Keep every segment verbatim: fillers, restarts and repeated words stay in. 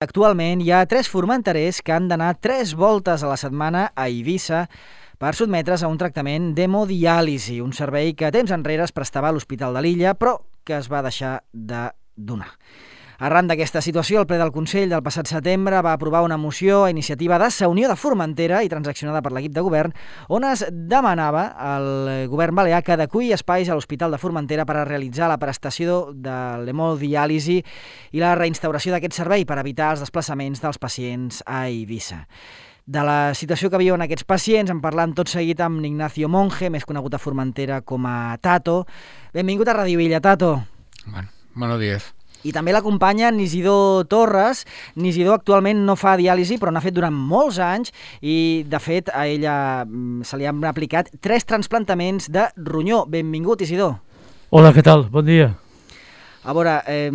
Actualment hi ha tres formenterers que han d'anar tres voltes a la setmana a Eivissa per sotmetre's a un tractament d'hemodiàlisi, un servei que temps enrere es prestava a l'Hospital de l'Illa, però que es va deixar de donar. Arran d'aquesta situació, el ple del Consell del passat setembre va aprovar una moció a iniciativa de Sa Unió de Formentera i transaccionada per l'equip de govern, on es demanava al govern balear que adeqüi espais a l'Hospital de Formentera per a realitzar la prestació de l'hemodiàlisi i la reinstauració d'aquest servei per evitar els desplaçaments dels pacients a Eivissa. De la situació que viuen aquests pacients en parlam tot seguit amb Ignacio Monge, més conegut a Formentera com a Tato. Benvingut a Radio Illa, Tato. Bueno, buenos días. I també l'acompanya Nisidor Torres. Nisidor actualment no fa diàlisi, però n'ha fet durant molts anys i, de fet, a ella se li han aplicat tres trasplantaments de ronyó. Benvingut, Isidor. Hola, què tal? Bon dia. A veure, eh,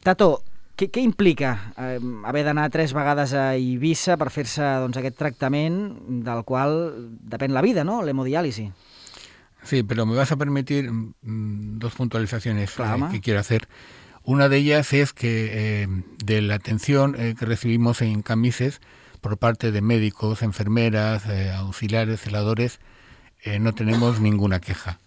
Tato, què, què implica eh, haver d'anar tres vegades a Eivissa per fer-se doncs, aquest tractament del qual depèn la vida, no?, l'hemodiàlisi? Sí, pero me vas a permitir mm, dos puntualizaciones Claro, eh, que quiero hacer. Una de ellas es que eh, de la atención eh, que recibimos en Camises por parte de médicos, enfermeras, eh, auxiliares, celadores, eh, no tenemos ninguna queja.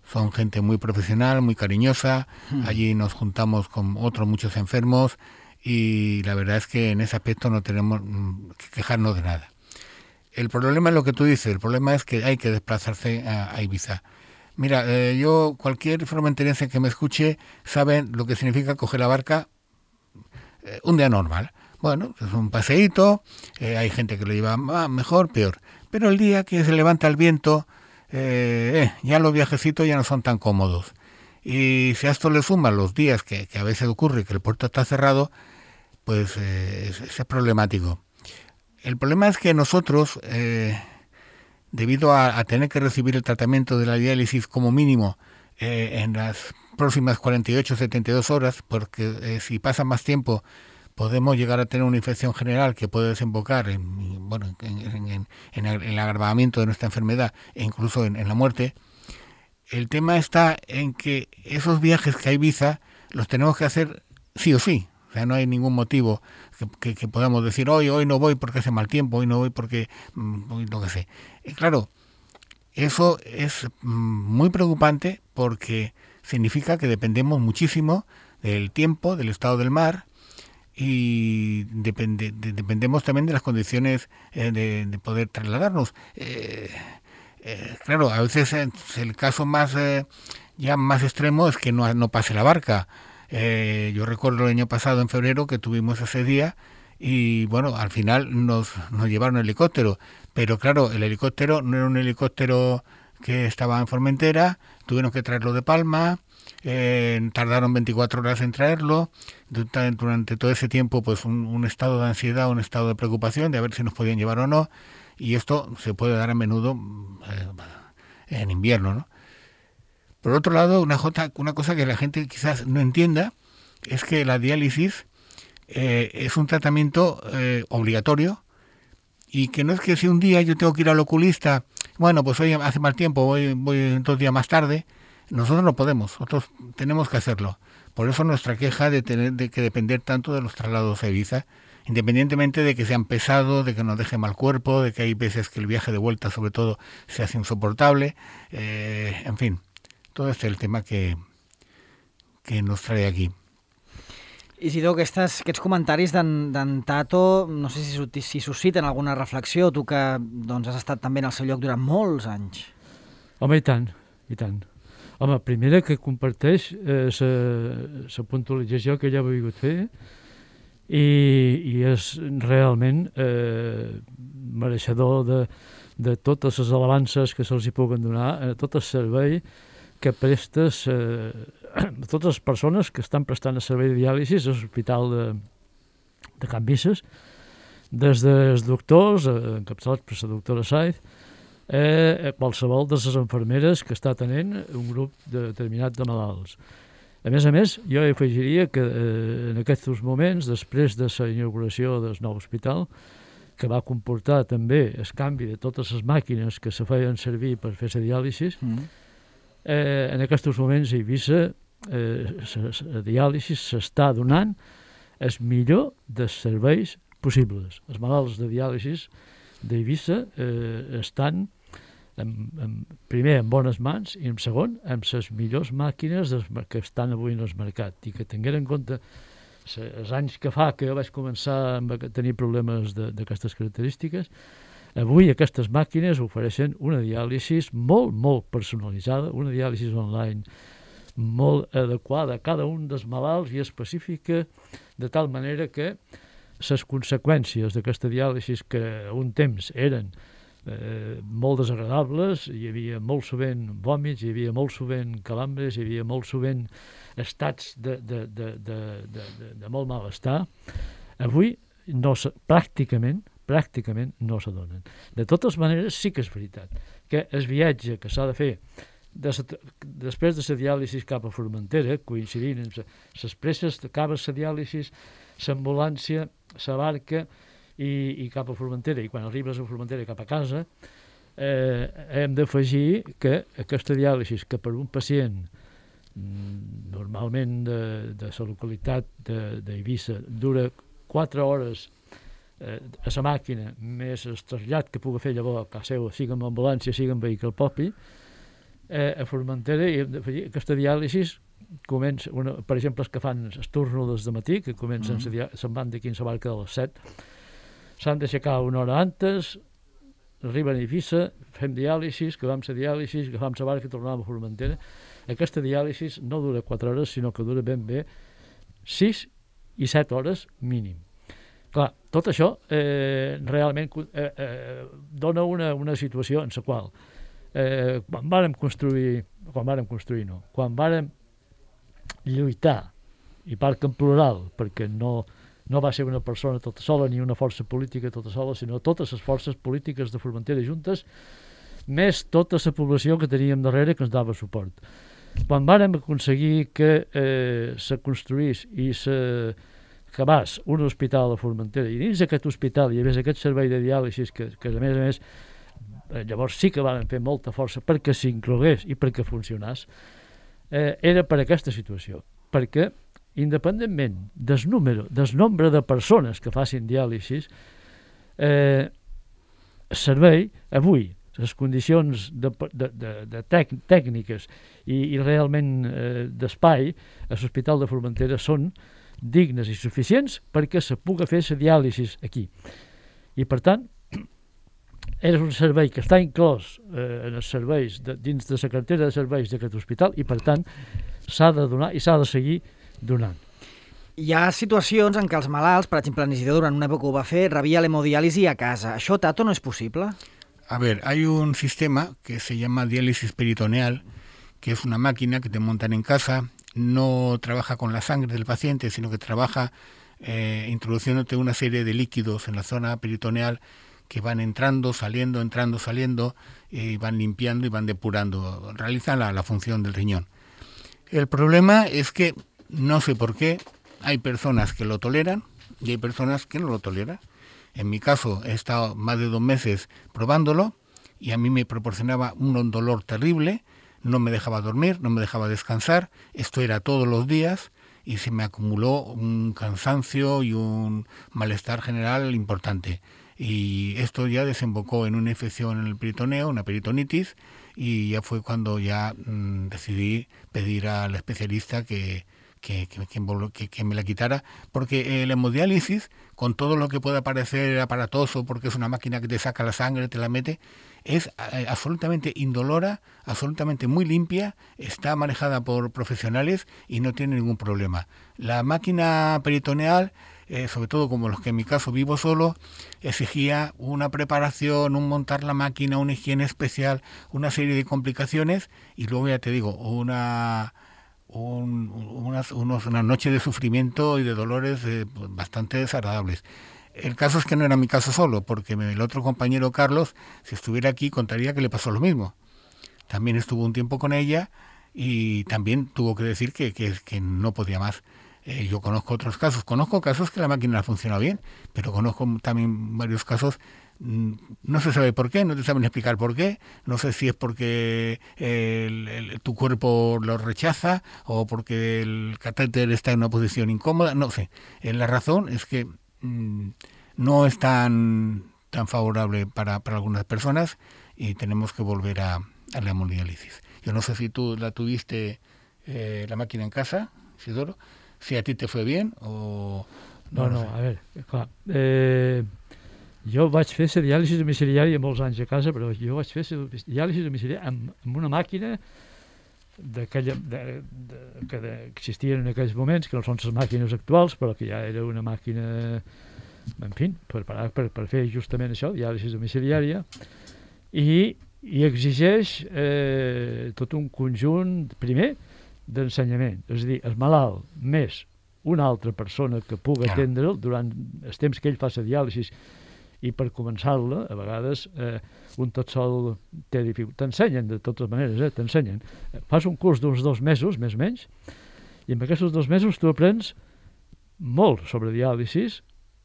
Son gente muy profesional, muy cariñosa. Hmm. Allí nos juntamos con otros muchos enfermos y la verdad es que en ese aspecto no tenemos mm, que quejarnos de nada. El problema es lo que tú dices, el problema es que hay que desplazarse a, a Eivissa. Mira, eh, yo, cualquier formenterense que me escuche sabe lo que significa coger la barca eh, un día normal. Bueno, es un paseíto, eh, hay gente que lo lleva ah, mejor, peor. Pero el día que se levanta el viento, eh, eh, ya los viajecitos ya no son tan cómodos. Y si a esto le suman los días que, que a veces ocurre que el puerto está cerrado, pues eh, es, es problemático. El problema es que nosotros... Eh, debido a, a tener que recibir el tratamiento de la diálisis como mínimo eh, en las próximas cuarenta y ocho a setenta y dos horas, porque eh, si pasa más tiempo podemos llegar a tener una infección general que puede desembocar en, bueno, en, en, en, en el agravamiento de nuestra enfermedad e incluso en, en la muerte. El tema está en que esos viajes que hay Eivissa los tenemos que hacer sí o sí. O sea, no hay ningún motivo que, que, que podamos decir hoy hoy no voy porque hace mal tiempo, hoy no voy porque hoy lo que sé. Y claro, eso es muy preocupante porque significa que dependemos muchísimo del tiempo, del estado del mar y depende, de, dependemos también de las condiciones eh, de, de poder trasladarnos. Eh, eh, claro, a veces el caso más eh, ya más extremo es que no, no pase la barca. Eh, yo recuerdo el año pasado, en febrero, que tuvimos ese día y, bueno, al final nos, nos llevaron el helicóptero. Pero, claro, el helicóptero no era un helicóptero que estaba en Formentera, tuvieron que traerlo de Palma, eh, tardaron veinticuatro horas en traerlo. Durante todo ese tiempo, pues, un, un estado de ansiedad, un estado de preocupación de a ver si nos podían llevar o no. Y esto se puede dar a menudo eh, en invierno, ¿no? Por otro lado, una, jota, una cosa que la gente quizás no entienda es que la diálisis eh, es un tratamiento eh, obligatorio y que no es que si un día yo tengo que ir al oculista, bueno, pues hoy hace mal tiempo, voy, voy dos días más tarde, nosotros no podemos, nosotros tenemos que hacerlo. Por eso nuestra queja de tener de que depender tanto de los traslados a Eivissa, independientemente de que sean pesados, de que nos deje mal cuerpo, de que hay veces que el viaje de vuelta sobre todo se hace insoportable, eh, en fin. Todo este es el tema que, que nos trae aquí. Isidor, aquestes, aquests comentaris d'en Tato, no sé si, si susciten alguna reflexió, tu que doncs, has estat també en el seu lloc durant molts anys. Home, i tant, i tant. Home, primera que comparteix eh, la puntualització que ella ha volgut fer i, i és realment eh, mereixedor de, de totes les alabances que se'ls hi puguen donar, eh, tot el servei que prestes eh, a totes les persones que estan prestant el servei de diàlisi a l'Hospital de, de Can Visses, des dels doctors, eh, encapçalats per la doctora Saiz, eh, qualsevol de les enfermeres que està tenint un grup determinat de malalts. A més a més, jo afegiria que eh, en aquests moments, després de la inauguració del nou hospital, que va comportar també el canvi de totes les màquines que se feien servir per fer la diàlisi, mm. Eh, en aquests moments a Eivissa eh, la diàlisi s'està donant el millor dels serveis possibles. Els malalts de diàlisis d'Eivissa eh, estan en, en, primer en bones mans i en segon amb les millors màquines des, que estan avui en el mercat, i que tingueren en compte els anys que fa que vaig començar a tenir problemes d'aquestes característiques. Avui aquestes màquines ofereixen una diàlisi molt, molt personalitzada, una diàlisi online molt adequada a cada un dels malalts i específica, de tal manera que les conseqüències d'aquesta diàlisi, que a un temps eren eh, molt desagradables, hi havia molt sovint vòmits, hi havia molt sovint calambres, hi havia molt sovint estats de, de, de, de, de, de, de molt malestar, avui no se, pràcticament, pràcticament no s'adonen. De totes maneres, sí que és veritat que el viatge que s'ha de fer de sa, després de la diàlisi cap a Formentera, coincidint amb les presses, acaba la diàlisi, l'ambulància, la barca i, i cap a Formentera, i quan arribes a Formentera cap a casa, eh, hem d'afegir que aquesta diàlisi, que per un pacient normalment de, de la localitat d'Eivissa dura quatre hores eh, a la màquina, més el trasllat que pugui fer llavors a casa seva, sigui amb ambulància, sigui amb vehicle propi, eh, a Formentera, i hem d'afegir aquesta diàlisi comença, una, per exemple, els que fan el turno des de matí, que comencen, mm. se'n van d'aquí en la barca de les set, s'han d'aixecar una hora antes, arriben a Eivissa, fem diàlisi, que vam ser diàlisi, agafam la barca i tornàvem a Formentera. Aquesta diàlisi no dura quatre hores, sinó que dura ben bé sis i set hores mínim. Clar, tot això eh, realment eh, eh, dona una, una situació en la qual eh, quan vàrem construir, quan vàrem construir no, quan vàrem lluitar, i parc en plural, perquè no, no va ser una persona tota sola ni una força política tota sola, sinó totes les forces polítiques de Formentera juntes, més tota la població que teníem darrere que ens dava suport. Quan vàrem aconseguir que eh, se construís i se acabés un hospital a Formentera, i dins d'aquest hospital hi havia aquest servei de diàlisi que, que a més a més eh, llavors sí que vàrem fer molta força perquè s'inclogués i perquè funcionés, eh, era per aquesta situació, perquè independentment del número, del nombre de persones que facin diàlisi, eh, el servei avui, les condicions de, de, de, de tec, tècniques i, i realment eh, d'espai a l'Hospital de Formentera són dignes i suficients perquè se pugui fer la diàlisi aquí. I per tant, és un servei que està inclòs eh, en els serveis, de, dins de la cartera de serveis d'aquest hospital, i per tant s'ha de donar i s'ha de seguir donant. Hi ha situacions en què els malalts, per exemple, en Isidor durant una època ho va fer, rebia l'hemodiàlisi a casa. Això, Tato, no és possible? A ver, hay un sistema que se llama diálisis peritoneal, que es una máquina que te montan en casa, no trabaja con la sangre del paciente, sino que trabaja eh, introduciéndote una serie de líquidos en la zona peritoneal que van entrando, saliendo, entrando, saliendo, y van limpiando y van depurando, realizan la, la función del riñón. El problema es que, no sé por qué, hay personas que lo toleran y hay personas que no lo toleran. En mi caso, he estado más de dos meses probándolo y a mí me proporcionaba un dolor terrible, no me dejaba dormir, no me dejaba descansar, esto era todos los días y se me acumuló un cansancio y un malestar general importante. Y esto ya desembocó en una infección en el peritoneo, una peritonitis, y ya fue cuando ya mmm, decidí pedir al especialista que... Que, que, que, que me la quitara, porque el hemodiálisis, con todo lo que pueda parecer aparatoso, porque es una máquina que te saca la sangre, te la mete, es eh, absolutamente indolora, absolutamente muy limpia, está manejada por profesionales y no tiene ningún problema. La máquina peritoneal, eh, sobre todo como los que en mi caso vivo solo, exigía una preparación, un montar la máquina, una higiene especial, una serie de complicaciones, y luego ya te digo, una... Un, unas, unos, una noche de sufrimiento y de dolores eh, bastante desagradables. El caso es que no era mi caso solo, porque me, el otro compañero Carlos, si estuviera aquí, contaría que le pasó lo mismo. También estuvo un tiempo con ella y también tuvo que decir que, que, que no podía más. Eh, yo conozco otros casos, conozco casos que la máquina ha funcionado bien, pero conozco también varios casos no se sabe por qué, no te saben explicar por qué, no sé si es porque el, el, tu cuerpo lo rechaza o porque el catéter está en una posición incómoda, no sé. La razón es que mmm, no es tan, tan favorable para, para algunas personas y tenemos que volver a, a la hemodiálisis. Yo no sé si tú la tuviste eh, la máquina en casa, Isidoro, si a ti te fue bien o... No, no, no a veure, clar, eh, jo vaig fer la diàlisi domiciliària molts anys a casa, però jo vaig fer la diàlisi domiciliària amb, amb una màquina d'aquella de, de, que de, existien en aquells moments, que no són les màquines actuals, però que ja era una màquina, en fi, preparada per, per fer justament això, diàlisi domiciliària, i, i exigeix eh, tot un conjunt, primer, d'ensenyament, és a dir, el malalt més una altra persona que pugui atendre'l durant el temps que ell fa la diàlisi i per començar-la, a vegades eh, un tot sol té dificultat. T'ensenyen de totes maneres, eh? t'ensenyen. Fas un curs d'uns dos mesos, més o menys, i en aquests dos mesos tu aprens molt sobre diàlisi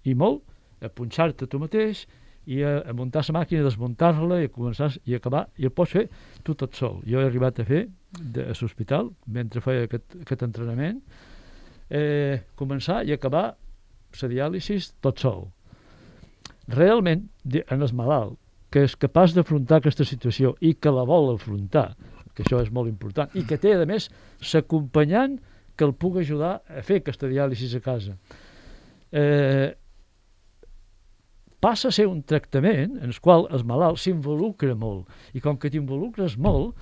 i molt a punxar-te tu mateix i a, a muntar la màquina, desmuntar-la i a començar i acabar, i el pots fer tu tot sol. Jo he arribat a fer de, a l'hospital, mentre feia aquest, aquest entrenament, eh, començar i acabar la diàlisi tot sol. Realment, en el malalt, que és capaç d'afrontar aquesta situació i que la vol afrontar, que això és molt important, i que té, a més, l'acompanyant que el pugui ajudar a fer aquesta diàlisi a casa. Eh, passa a ser un tractament en el qual el malalt s'involucra molt, i com que t'involucres molt,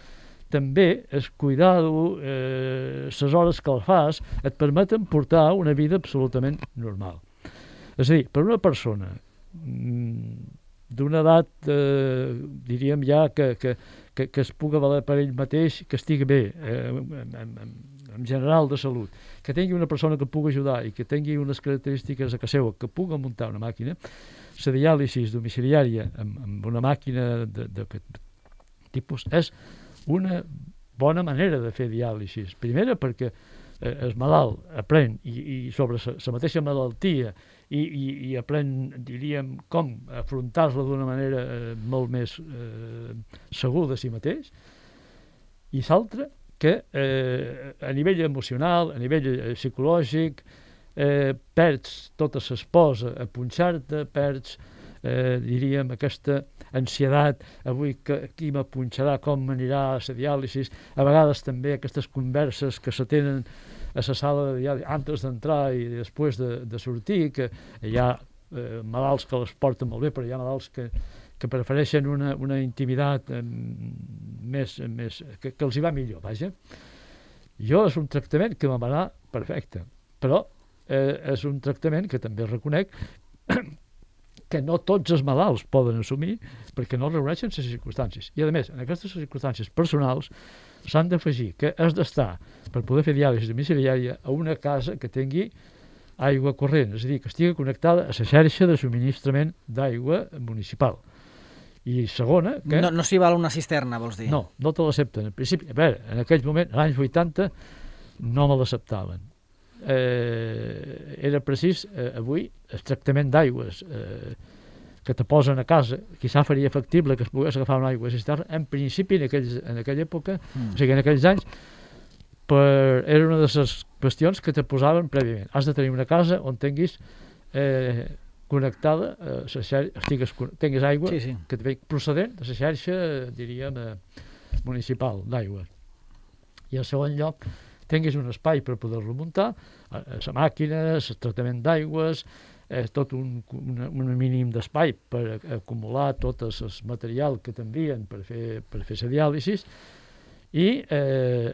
també el cuidar-ho, eh, les hores que el fas, et permeten portar una vida absolutament normal. És a dir, per una persona d'una edat, eh, diríem ja, que, que, que, que es pugui valer per ell mateix, que estigui bé, eh, en, en, en general de salut, que tingui una persona que el pugui ajudar i que tingui unes característiques a casa seva, que pugui muntar una màquina, la diàlisi domiciliària amb, amb una màquina d'aquest tipus és una bona manera de fer diàlisi. Primera, perquè eh, el malalt aprèn i, i sobre la mateixa malaltia i, i, i aprèn, diríem, com afrontar-la d'una manera eh, molt més eh, segur de si mateix, i l'altra, que eh, a nivell emocional, a nivell eh, psicològic, eh, perds tota l'esposa a punxar-te, perds, eh, diríem, aquesta ansiedat, avui que, qui me punxarà, com m'anirà a la diàlisi, a vegades també aquestes converses que se tenen a la sala de diàlisi antes d'entrar i després de, de sortir, que hi ha eh, malalts que les porten molt bé, però hi ha malalts que, que prefereixen una, una intimitat eh, més, més que, que els hi va millor, vaja. Jo és un tractament que em va anar perfecte, però eh, és un tractament que també reconec que no tots els malalts poden assumir perquè no reuneixen les circumstàncies. I, a més, en aquestes circumstàncies personals s'han d'afegir que has d'estar, per poder fer diàlisi domiciliària, a una casa que tingui aigua corrent, és a dir, que estigui connectada a la xarxa de subministrament d'aigua municipal. I segona... Que... No, no s'hi val una cisterna, vols dir? No, no te l'accepten. En principi, a veure, en aquell moment, als anys vuitanta, no me l'acceptaven. Eh, era precís, eh, avui, el tractament d'aigües eh, que te posen a casa, quizà faria factible que es pogués agafar una aigua cisterna, en principi, en, aquells, en aquella època, mm. o sigui, en aquells anys, per, era una de les qüestions que te posaven prèviament. Has de tenir una casa on tinguis eh, connectada, eh, la xarxa, estigues, tinguis aigua sí, sí. que te ve procedent de la xarxa, diríem, eh, municipal d'aigua. I en segon lloc, tinguis un espai per poder-lo muntar, la màquina, el tractament d'aigües, eh, tot un, un, un mínim d'espai per acumular tot el material que t'envien per fer, per fer la diàlisi, i eh,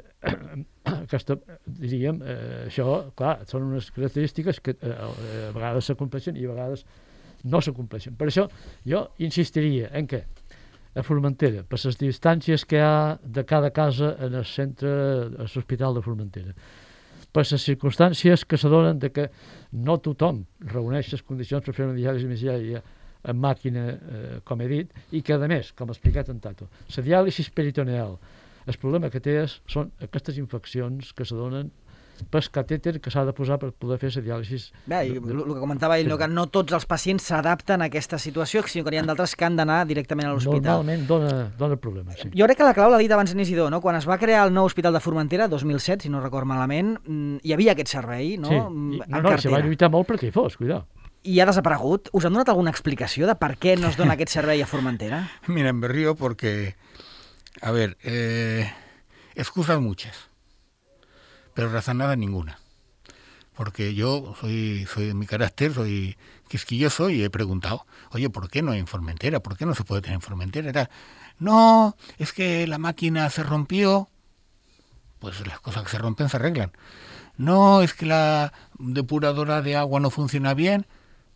aquesta, diríem, eh, això, clar, són unes característiques que eh, a vegades s'acompleixen i a vegades no s'acompleixen. Per això jo insistiria en què a Formentera, per les distàncies que hi ha de cada casa en el centre, a l'Hospital de Formentera, per les circumstàncies que se donen de que no tothom reuneix les condicions per fer una diàlisi domiciliària en màquina, eh, com he dit, i que, a més, com ha explicat en Tato, la diàlisi peritoneal, el problema que té és, són aquestes infeccions que se donen pel catèter que s'ha de posar per poder fer la diàlisi. Bé, i el que comentava ell, no, que no tots els pacients s'adapten a aquesta situació, sinó que n'hi ha d'altres que han d'anar directament a l'hospital. Normalment dona, dona problemes, sí. Jo crec que la clau l'ha dit abans en Isidor, no? Quan es va crear el nou hospital de Formentera, dos mil set, si no record malament, hi havia aquest servei, no? Sí, en I, no, no, se va lluitar molt perquè hi fos, cuidado. I ha desaparegut. Us han donat alguna explicació de per què no es dona aquest servei a Formentera? Mira, me río porque, a ver, eh, excusas muchas, pero razonada ninguna. Porque yo soy, soy de mi carácter, soy quisquilloso y he preguntado, oye, ¿por qué no hay en Formentera? ¿Por qué no se puede tener en Formentera? Era, no, es que la máquina se rompió. Pues las cosas que se rompen se arreglan. No, es que la depuradora de agua no funciona bien.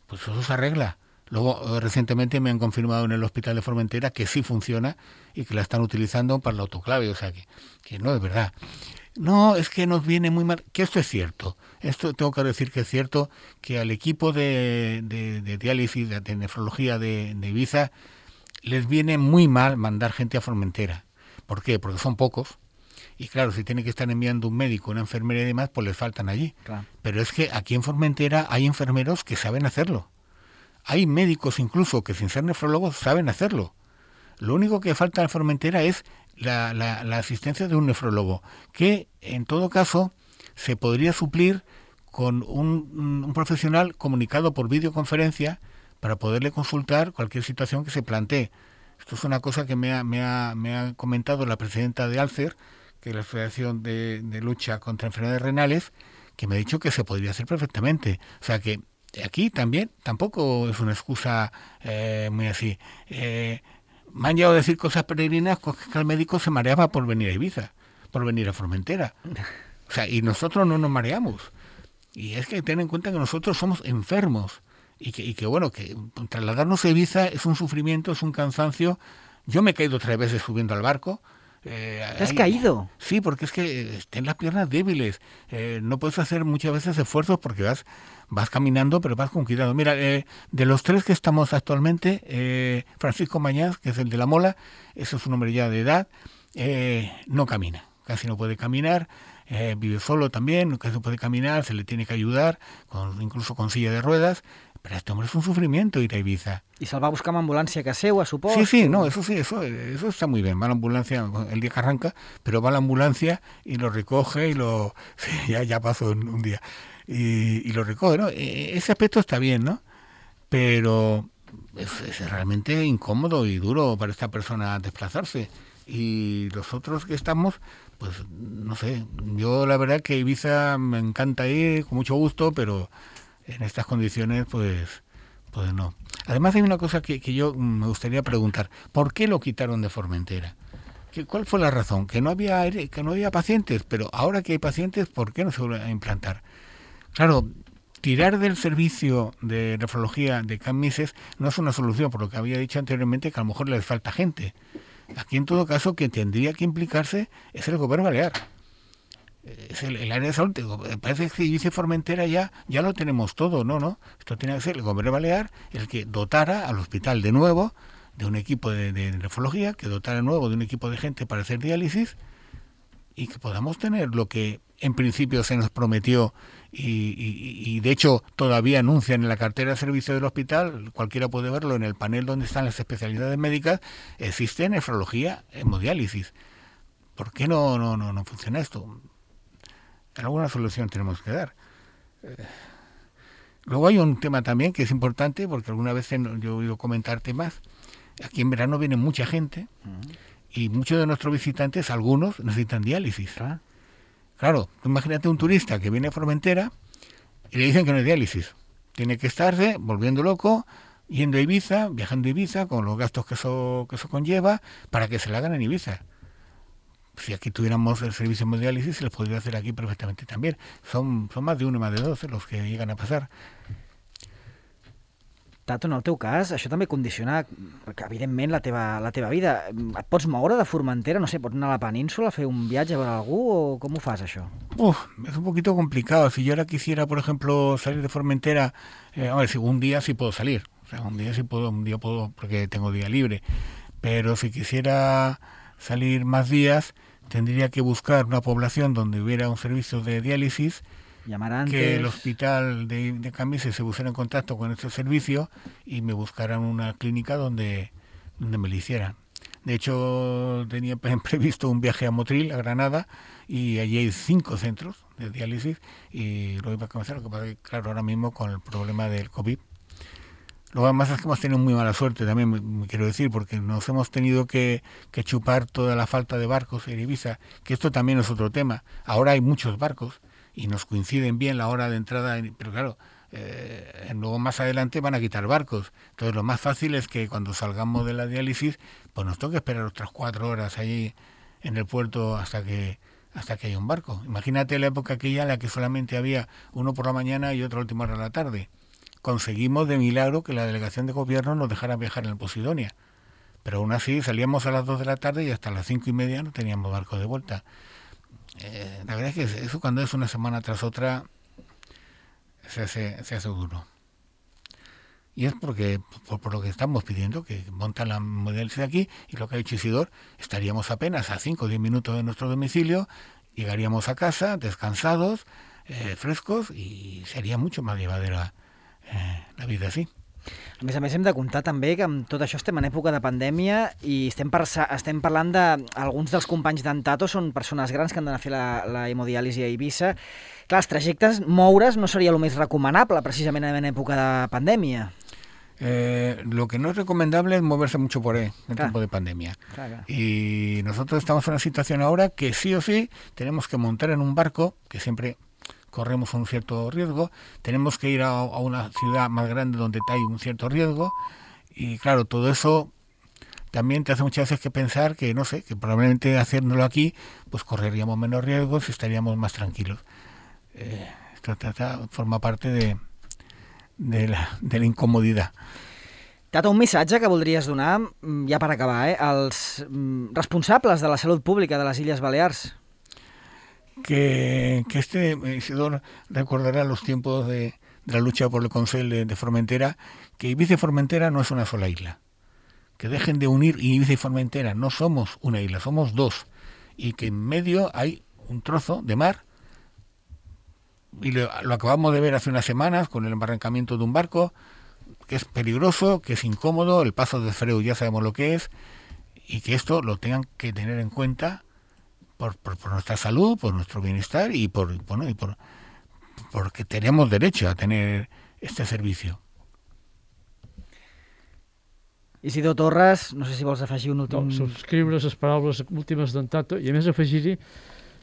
Pues eso se arregla. Luego, recientemente me han confirmado en el hospital de Formentera que sí funciona y que la están utilizando para el autoclave, o sea que, que no es verdad. No, es que nos viene muy mal, que esto es cierto. Esto tengo que decir que es cierto, que al equipo de, de, de diálisis, de, de nefrología de, de Ibiza, les viene muy mal mandar gente a Formentera. ¿Por qué? Porque son pocos. Y claro, si tiene que estar enviando un médico, una enfermera y demás, pues les faltan allí. Claro. Pero es que aquí en Formentera hay enfermeros que saben hacerlo. Hay médicos incluso que sin ser nefrólogos saben hacerlo. Lo único que falta en Formentera es la, la, la asistencia de un nefrólogo, que en todo caso se podría suplir con un, un profesional comunicado por videoconferencia para poderle consultar cualquier situación que se plantee. Esto es una cosa que me ha, me ha, me ha comentado la presidenta de ALCER, que es la Asociación de, de Lucha contra Enfermedades Renales, que me ha dicho que se podría hacer perfectamente. O sea que aquí también tampoco es una excusa eh, muy así. Eh, me han llegado a decir cosas peregrinas que el médico se mareaba por venir a Ibiza, por venir a Formentera. O sea, y nosotros no nos mareamos. Y es que ten en cuenta que nosotros somos enfermos. Y que, y que bueno, que trasladarnos a Ibiza es un sufrimiento, es un cansancio. Yo me he caído tres veces subiendo al barco. Eh, ¿Te has hay, caído? Sí, porque es que ten las piernas débiles. Eh, no puedes hacer muchas veces esfuerzos porque vas vas caminando, pero vas con cuidado. Mira, eh, de los tres que estamos actualmente, eh, Francisco Mañaz, que es el de la mola, ese es un hombre ya de edad, eh, no camina, casi no puede caminar, eh, vive solo también, casi no puede caminar, se le tiene que ayudar, con, incluso con silla de ruedas. Pero este hombre es un sufrimiento ir a Ibiza. ¿Y se'l va buscar amb ambulància que seua, suposo? Sí, sí, no, eso sí, eso, eso está muy bien. Va a la ambulancia el día que arranca, pero va a la ambulancia y lo recoge y lo... Sí, ya, ya pasó un, un día. Y, y lo recoge, ¿no? Ese aspecto está bien, ¿no? Pero es, es realmente incómodo y duro para esta persona desplazarse. Y los otros que estamos, pues, no sé, yo la verdad que Ibiza me encanta ir con mucho gusto, pero... en estas condiciones, pues, pues no. Además hay una cosa que, que yo me gustaría preguntar. ¿Por qué lo quitaron de Formentera? ¿Qué, ¿Cuál fue la razón? Que no había que no había pacientes, pero ahora que hay pacientes, ¿por qué no se vuelven a implantar? Claro, tirar del servicio de nefrología de Can Misses no es una solución, por lo que había dicho anteriormente, que a lo mejor les falta gente. Aquí, en todo caso, quien tendría que implicarse es el gobierno balear. Es el, el área de salud. Parece que dice Formentera ya ya lo tenemos todo, no, no. Esto tiene que ser el gobierno balear el que dotara al hospital de nuevo de un equipo de, de nefrología, que dotara de nuevo de un equipo de gente para hacer diálisis y que podamos tener lo que en principio se nos prometió y, y, y de hecho todavía anuncian en la cartera de servicio del hospital, cualquiera puede verlo en el panel donde están las especialidades médicas, existe nefrología, hemodiálisis. ¿Por qué no, no, no, no funciona esto? Alguna solución tenemos que dar. Eh, luego hay un tema también que es importante, porque alguna vez yo he oído comentar temas. Aquí en verano viene mucha gente uh-huh. y muchos de nuestros visitantes, algunos, necesitan diálisis. ¿Ah? Claro, imagínate un turista que viene a Formentera y le dicen que no hay diálisis. Tiene que estarse volviendo loco, yendo a Ibiza, viajando a Ibiza, con los gastos que eso, que eso conlleva, para que se la hagan en Ibiza. Si aquí tuviéramos el servicio de hemodiálisis, se les podría hacer aquí perfectamente también. Son, son más de uno y más de dos los que llegan a passar. Tato, en el teu cas, això també condiciona, evidentment, la teva, la teva vida. Et pots moure de Formentera, no sé, pots anar a la península, fer un viatge a veure algú, o com ho fas, això? Uf, es un poquito complicado. Si yo ahora quisiera, por ejemplo, salir de Formentera, eh, a ver, si un día sí puedo salir. O sea, un día sí puedo, un día puedo, porque tengo día libre. Pero si quisiera salir más días, tendría que buscar una población donde hubiera un servicio de diálisis, llamar antes, que el hospital de, de Cambises se pusiera en contacto con este servicio y me buscaran una clínica donde, donde me lo hicieran. De hecho, tenía previsto un viaje a Motril, a Granada, y allí hay cinco centros de diálisis y lo iba a comenzar, lo que pasa es que, claro, ahora mismo con el problema del COVID. Lo demás es que hemos tenido muy mala suerte también, me, me quiero decir, porque nos hemos tenido que, que chupar toda la falta de barcos en Ibiza, que esto también es otro tema. Ahora hay muchos barcos y nos coinciden bien la hora de entrada, en, pero claro, eh, luego más adelante van a quitar barcos. Entonces lo más fácil es que cuando salgamos de la diálisis, pues nos toque esperar otras cuatro horas allí en el puerto hasta que hasta que haya un barco. Imagínate la época aquella en la que solamente había uno por la mañana y otro a última hora de la tarde. Conseguimos de milagro que la delegación de gobierno nos dejara viajar en el Posidonia. Pero aún así salíamos a las dos de la tarde y hasta las cinco y media no teníamos barco de vuelta. Eh, la verdad es que eso cuando es una semana tras otra se hace, se hace duro. Y es porque por, por lo que estamos pidiendo, que montan la modalidad aquí, y lo que ha dicho Isidor, estaríamos apenas a cinco o diez minutos de nuestro domicilio, llegaríamos a casa descansados, eh, frescos, y sería mucho más llevadera Eh, la vida sí. A més a més hem de comptar també que amb tot això estem en època de pandèmia i estem, per, estem parlant d'alguns dels companys d'en Tato són persones grans que han d'anar a fer la, la hemodiàlisi a Eivissa. Clar, els trajectes, moure's no seria el més recomanable precisament en època de pandèmia. Eh, lo que no es recomendable es moverse mucho por ahí en tiempo de pandemia. Claro. Y nosotros estamos en una situación ahora que sí o sí tenemos que montar en un barco, que siempre corremos un cierto riesgo, tenemos que ir a, a una ciudad más grande donde hay un cierto riesgo, y claro, todo eso también te hace muchas veces que pensar que, no sé, que probablemente haciéndolo aquí, pues correríamos menos riesgos y estaríamos más tranquilos. Eh, esto trata, forma parte de, de, la, de la incomodidad. Tato, un missatge que voldries donar, ja per acabar, eh, als responsables de la salut pública de les Illes Balears. Que, que este Isidor recordará los tiempos de, de la lucha por el Consell de, de Formentera, que Ibiza y Formentera no es una sola isla. Que dejen de unir Ibiza y Formentera, no somos una isla, somos dos. Y que en medio hay un trozo de mar, y lo, lo acabamos de ver hace unas semanas con el embarrancamiento de un barco, que es peligroso, que es incómodo, el paso de Freu ya sabemos lo que es, y que esto lo tengan que tener en cuenta Por, por, por nuestra salud, por nuestro bienestar y por bueno y por porque tenemos derecho a tener este servicio. Isidor Torres, no sé si vols afegir un últim... No, subscriure les paraules últimes d'en Tato i a més afegir-hi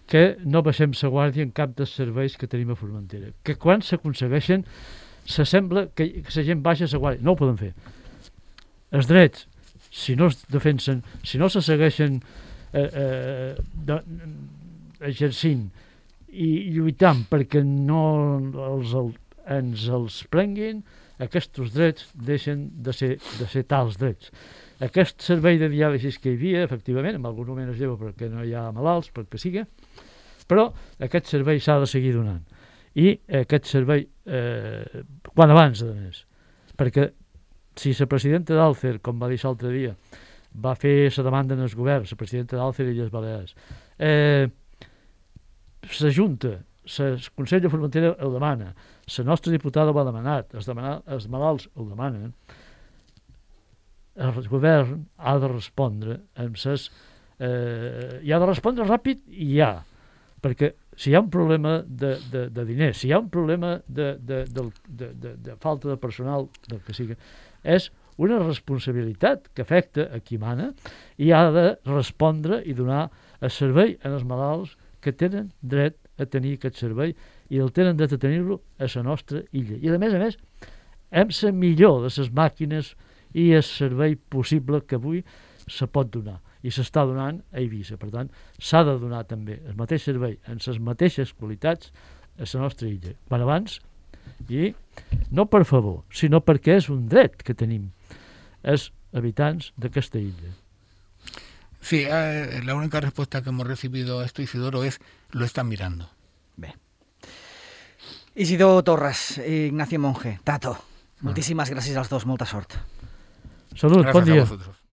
que no baixem la guàrdia en cap dels serveis que tenim a Formentera. Que quan s'aconsegueixen s'assembla que, que la gent baixa la guàrdia. No ho poden fer. Els drets, si no es defensen, si no se segueixen Eh, eh, de, exercint i lluitant perquè no els, el, ens els prenguin, aquests drets deixen de ser, de ser tals drets. Aquest servei de diàlisis que hi havia, efectivament, en algun moment es lleva perquè no hi ha malalts, perquè siga, però aquest servei s'ha de seguir donant. I aquest servei, eh, quan abans, a més, perquè si la presidenta d'Alcer, com va dir l'altre dia, va fer la demanda en el govern, la presidenta d'Alcer i Illes Balears. Eh, la Junta, el Consell de Formentera el demana, la nostra diputada ho ha demanat, els, demanar, els malalts el demanen, el govern ha de respondre amb ses, eh, i ha de respondre ràpid i ja, perquè si hi ha un problema de, de, de diners, si hi ha un problema de, de, de, de, de, de falta de personal, del que sigui, és una responsabilitat que afecta a qui mana i ha de respondre i donar el servei als malalts que tenen dret a tenir aquest servei i el tenen dret a tenir-lo a la nostra illa. I a més a més, amb la millor de les màquines i el servei possible que avui se pot donar i s'està donant a Eivissa. Per tant, s'ha de donar també el mateix servei amb les mateixes qualitats a la nostra illa. Quan abans, i no per favor, sinó perquè és un dret que tenim els habitants d'aquesta illa. Sí, eh, la única respuesta que hemos recibido a esto, Isidoro, es lo están mirando. Bé. Isidor Torres, Ignacio Monge, Tato, moltíssimes gràcies als dos, molta sort. Salut, Gràcies bon dia. A vosotros.